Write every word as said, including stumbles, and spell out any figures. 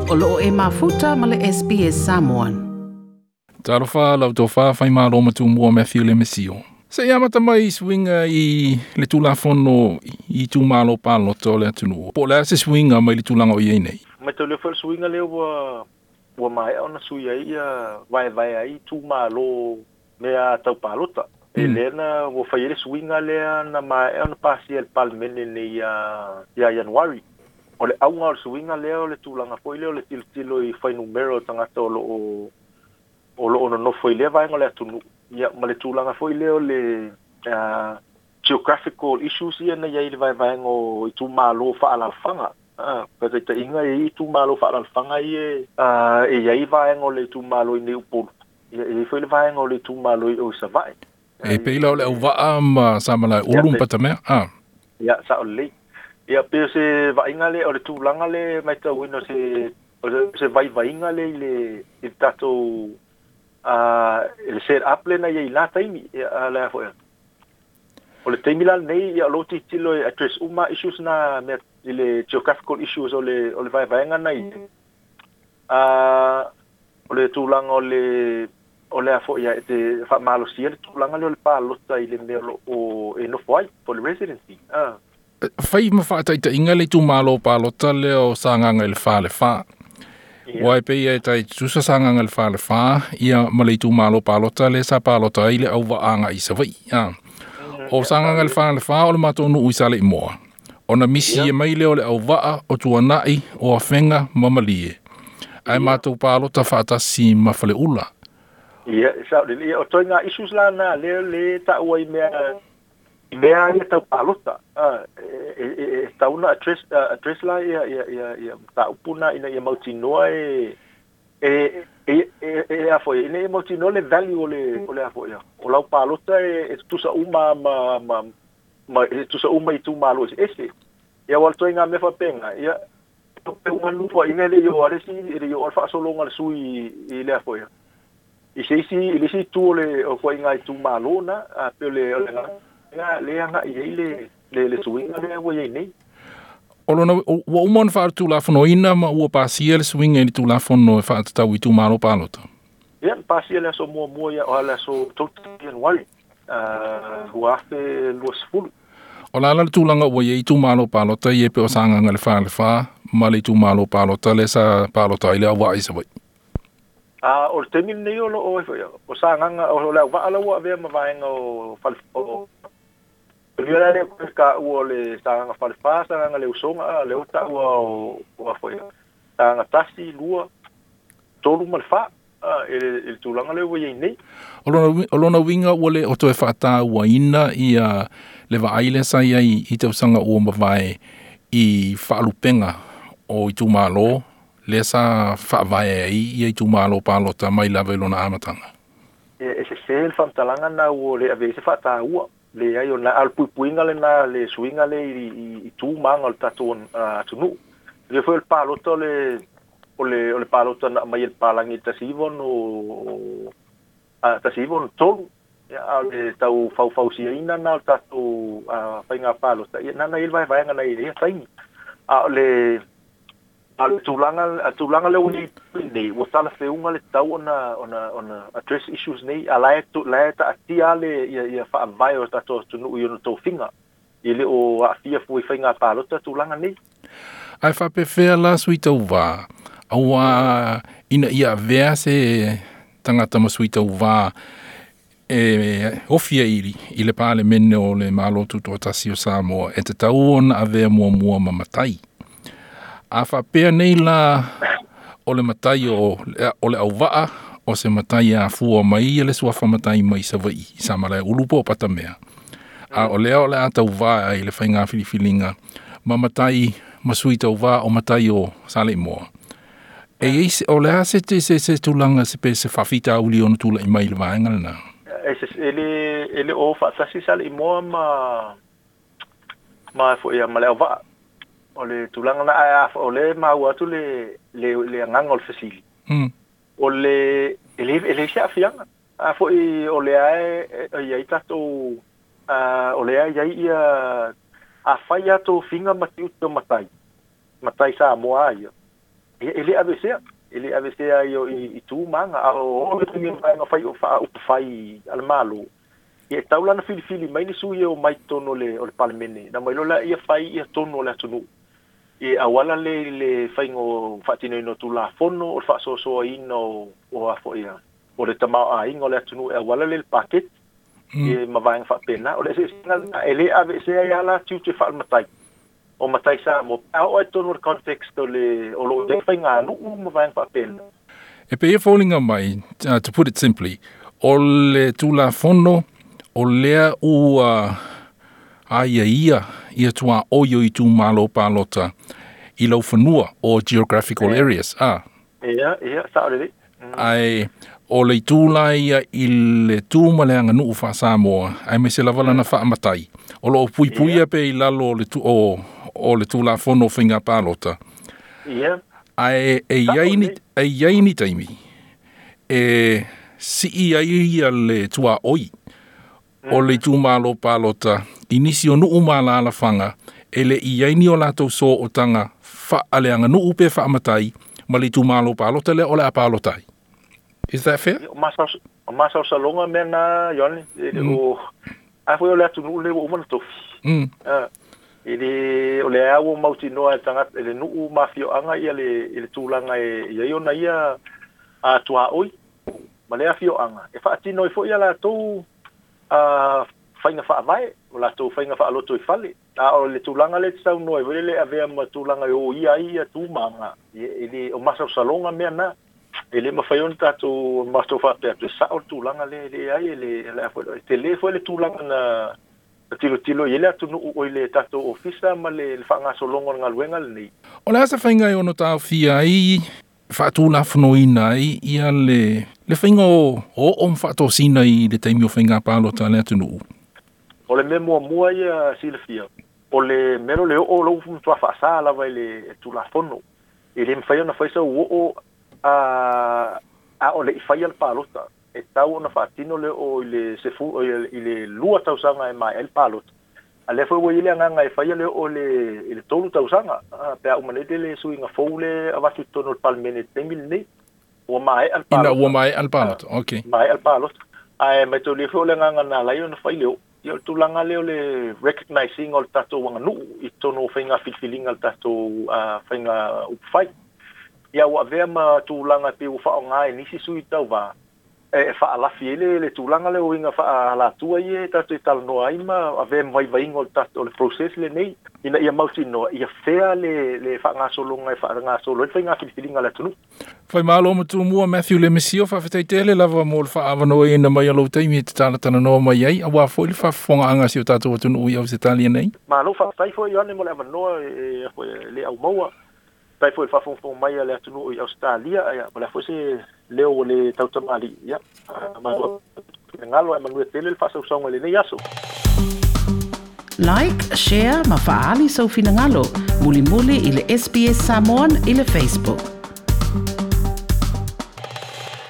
O loo e mafuta ma le S B S Samoan. Talofa lau tofa whai malo matumua Matthew le Mesio. Se ia mata mai swinga i le tulafono i tūmalo pālota o le atunuu. Po le ase swinga mai le tulaga o i nei. Mai tau leo fai swinga leo ua ua maea ona sui ai ia vaevae ai tūmalo mea tau pālota. E mm. Lena ua fai le swinga lea na maea ona pasia le palemene nei ia ia Januari. O le auga o le suiga lea o le tulaga foi lea o le tilotilo i fuainumera o tagata o loo o loo nonofo i lea vaega o le atunuu ia ma le tulaga foi lea o le uh, geographical issues ia na iai le vaevaega o itumalo faaalaalafaga. Ah, faataitaiga e iai itumalo faaalaalafaga ia uh, e iai vaega o le itumalo i nei Upolu ia e iai foi le vaega o le itumalo i o i Savaii. E peila o le auvaa ma Samalaeulu ma Patamea. Ah. Ia sao lelei. Ia pe se vaaiga le o le tulaga le matauina se o se vaivaiga le i le i le tatou a le set up le na iai la taimi ia le foi. O le taimi la nei ia lo tilotilo e address uma issues na mea i le geographical issues o le o le vaevaega na i a o le tulaga o le o le afo ia te faamalosia le tulaga le o le palota i le mea o o e nofo ai for the residency. Ah. Fai ma faataitaiga le itumalo palota lea o Sagaga i le fa le fa. Ua e pei e tai tusa Sagaga i le fa le fa ia ma le itumalo palota le sa palota ai le auvaaga i Savaii. Ah. O Sagaga i le fa le fa o le matou nuu i Saleimoa. Ona misi e mai lea o le auvaa o Tuanai o Afega ma Malie. Ae matou palota faatasi ma Faleula. Ia, sao lelei. Ia, o toiga issues la na lea le taua i mea mea ia tau palota. Ah, e e e tau na address address la ia ia ia ia mataupu na ina ia mautinoa e e e e e a foi ina ia mautinoa le value o le o le a foi ia. O lau palota e e tutusa uma ma ma ma e tutusa uma i itumalo eseese. Ia ua le toiga mea faapega ia pe uma nuu ina le i o ale si e le i o ale faasologa le sui i le a foi ia. I se isi i le isi itu o le o koaiga itumalo na a pe o le o le aga le agai ai le le le suiga lea ua iai nei. O lona ua uma ona faatulafonoina ma ua pasia le suiga i le tulafono e faatatau i itumalo palota. Ia pasia le aso muamua ia o le aso tolu Ianuari uh, ua afe luasefulu. O la la le tulaga ua iai itumalo palota ia pe o Sagaga i le fa le fa ma le itumalo palota le sa palota ai le auvaa i Savaii. Ah, o le taimi lenei o loo ai foi o Sagaga o le auvaa la ua avea ma vaega o fale o Ia la le ka ua le Sagaga falefa, Sagaga le usoga, le ota ua o o foi. Sagaga tasi, lua, tolu ma le fa, e le tulaga le ua iai nei. O lona o lona uiga ua le o toe faatauaina ia le vaai lea sa iai i tausaga ua mavae i faalupega o itumalo lea sa faavae ai ia itumalo palota mai lava i lona amataga. E e sese le faamatalaga na ua le ave ai se faataua. Le ai o na al puipuiga le na le suiga le i i tu maga o le tatou atunuu. Le foi o le palota o le o le o le palota na aumai e le palagi i le tasi iva ono a tasi iva ono tolu. Ia a o le tau faufausiaina na o le tatou faiga palota ia na na i le vaevaega na i ia taimi. A o le a le tulaga a tulaga le ua nei ua talafeuga le tatau ona ona ona address issues nei a la e la e taatia le ia ia faavae o tatou atunuu i ona tofiga i le o aafia fua i faiga palota tulaga nei. Ae faapefea la sui tauvā auā ina ia avea se tagata ma sui tauvā e ofia i, i le palemene o le Malo Tutoatasi o Samoa e tatau ona avea muamua ma matai. A faapea nei la o le matai o, o le auvaa o se matai a fua mai ia le suafa matai mai Savaii i Samalaeulu po o Patamea. A o lea o le a tauvā ai le faiga filifiliga ma matai ma sui tauvā o matai o Saleimoa. E iai se o le a se te se se tulaga se pe se faafitauli ona tulai mai i le vaega lena. E se e le e le o faatasi Saleimoa ma ma foi ia ma le auvaa. O le tulaga na ae o le maua atu le le le agaga o le fesili. Mm. O le e le e le se aafiaga. A foi o le ae e iai tatou a o le ae iai ia a fai a tofiga ma tiute o matai. Matai Samoa ia. E le aveesea e le aveesea i i tu maga a o le taimi vaega fai o faaupu a le Malo ia e tau lana filifili mai ni sui e o mai totonu o le o le Palemene na mai loa ia fai ia tonu o le atunuu e auala le le faiga o faatinoina o Tulafono o le faasoasoaina o o a foi ia o le tamaoaiga o le atunuu e auala le le paketi e ma vaega faapena o le eseesega lena e le aveesea ai lava la tiute faalematai o matai Samoa pe a oo ai totonu o le context o le o loo i ai faiganuu ma vaega faapena. E pei e foliga mai, uh, to put it simply, o le Tulafono o lea ua aiaia ia tuaoi o itumalo palota i laufanua o geographical areas. Ah. Ia, ia, sao lelei. Ae o le itu la ia i le tu ma le aganuu faa-Samoa, aemaise lava lana faamatai, o loo puipuia pea i lalo o le, tu, o, o le Tulafono o Faiga Palota. Ia. Ae e i ai ni, e i ai ni taimi e sii ai ia le tuaoi o le itumalo palota i nisi o nuu ma alaalafaga e le i ai ni o latou sootaga faaleaganuu pe faamatai ma le itumalo palota lea o le a palota ai. Is that fair? O masao o masaosaloga mea na Ioane e le o a foi o le atunuu le ua uma na tofi. Mm. Ah, e le o le au mautinoa e tagata e le nuu ma afioaga ia le i le tulaga e i ai ona ia a tuaoi ma le afioaga e faatino ai foi ia latou a faiga faavae o latou faiga faaloto i fale a o le tulaga le saunoa ai foi le avea ma tulaga e o ia ai ia tumaga e le o masaosaloga mea na e le mafai ona tatou matou faapea atu e sao le tulaga le le ai e le le foi e tele foi le tulaga na na tilotilo i le atunuu o i le tatou ofisa ma le le faagasologa o le galuega lenei. O le a se faiga e ono taofia ai faatulafonoina ai ia le le faiga o o ma faatosina i le taimi o faiga palota a le atunuu? O le mea muamua ia silafia o le mea lea o le oo lou matua faasā lava i le Tulafono e le mafai ona fai sau oo a a o le i faia le palota e tau ona faatino le oo i le sefu i le lua tausaga e maea ai le palota a lea foi ua i ai le agaga e faia le oo le i le tolu tausaga pe a uma nei le suiga fou le avatu i totonu o le Palemene i le taimi lenei ua maea le Ina palota. Ua maea le palota. Okay. Maea le palota ae maitaulia foi o le agaga na ala ai ona fai le oo ia o le tulaga lea o le recognizing o le tatou aganuu i totonu o faiga filifiliga le tatou faiga upufai ia ua avea ma tulaga e pei ua faaaoga e nisi sui tauvā e faalafi ai le le tulaga lea o uiga faaalatua ia e tatou talanoa ai ma avea ma vaivaiga o le tatou o le process lenei ina ia mautinoa ia fea le le faagasologa e faagasolo ai le faiga filifiliga a le atunuu. Faimalo matumua Matthew Lemesio, faafetai tele lava mo le faaavanoaina mai o lou taimi e te talatalanoa mai ai auā foi le faafofogaaga a si o tatou atunuu i Ausetalia nei. Malo faafetai foi Ioane mo le avanoa e foi le aumaua tai foi le faafogafoga mai a le atunuu i Australia ia o le a foi se leo o le tautamalii ia malo finagalo ae manuia tele le faasausauga i lenei aso. Like, share ma faaali sou finagalo. Mulimuli i le S B S Samoan i le Facebook.